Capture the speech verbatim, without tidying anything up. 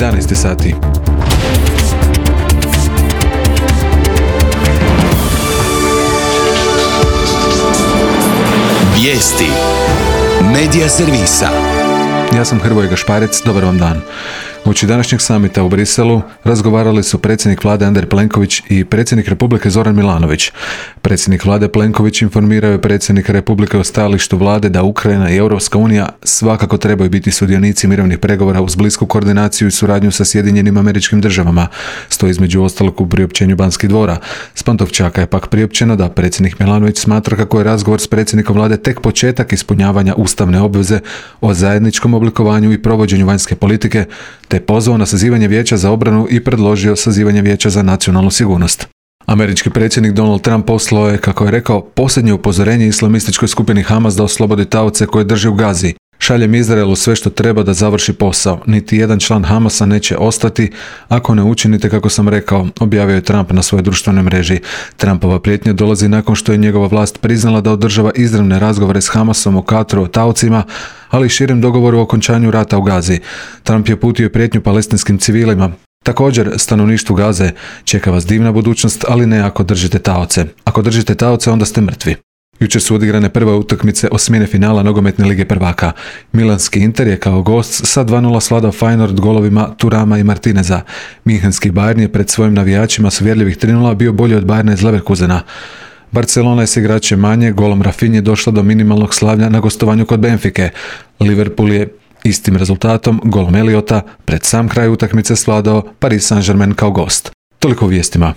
jedanaest sati. Vijesti Medija servisa. Ja sam Hrvoje Gašparec, dobar vam dan. Uoči današnjeg samita u Briselu razgovarali su predsjednik vlade Andrej Plenković i predsjednik Republike Zoran Milanović. Predsjednik vlade Plenković informirao je predsjednika Republike o stajalištu vlade da Ukrajina i Europska unija svakako trebaju biti sudionici mirovnih pregovora uz blisku koordinaciju i suradnju sa Sjedinjenim Američkim Državama, stoji između ostalog u priopćenju Banskih dvora. S Pantovčaka je pak priopćeno da predsjednik Milanović smatra kako je razgovor s predsjednikom vlade tek početak ispunjavanja ustavne obveze o zajedničkom oblikovanju i provođenju vanjske politike, te pozvao na sazivanje Vijeća za obranu i predložio sazivanje Vijeća za nacionalnu sigurnost. Američki predsjednik Donald Trump poslao je, kako je rekao, posljednje upozorenje islamističkoj skupini Hamas da oslobodi taoce koje drži u Gazi. Šaljem Izraelu sve što treba da završi posao. Niti jedan član Hamasa neće ostati ako ne učinite kako sam rekao, objavio je Trump na svojoj društvenoj mreži. Trumpova prijetnja dolazi nakon što je njegova vlast priznala da održava izravne razgovore s Hamasom o Katru o taocima, ali i širem dogovoru o okončanju rata u Gazi. Trump je uputio prijetnju palestinskim civilima. Također, stanovništvu Gaze čeka vas divna budućnost, ali ne ako držite taoce. Ako držite taoce, onda ste mrtvi. Jučer su odigrane prve utakmice osmine finala nogometne lige prvaka. Milanski Inter je kao gost sa dva nula svladao Feyenoord golovima Turama i Martineza. Minhenski Bayern je pred svojim navijačima s uvjerljivih tri nula bio bolji od Bayerna iz Leverkusena. Barcelona je s igračem manje golom Rafinje došla do minimalnog slavlja na gostovanju kod Benfike. Liverpool je istim rezultatom, golom Eliota, pred sam kraj utakmice svladao Paris Saint-Germain kao gost. Toliko u vijestima.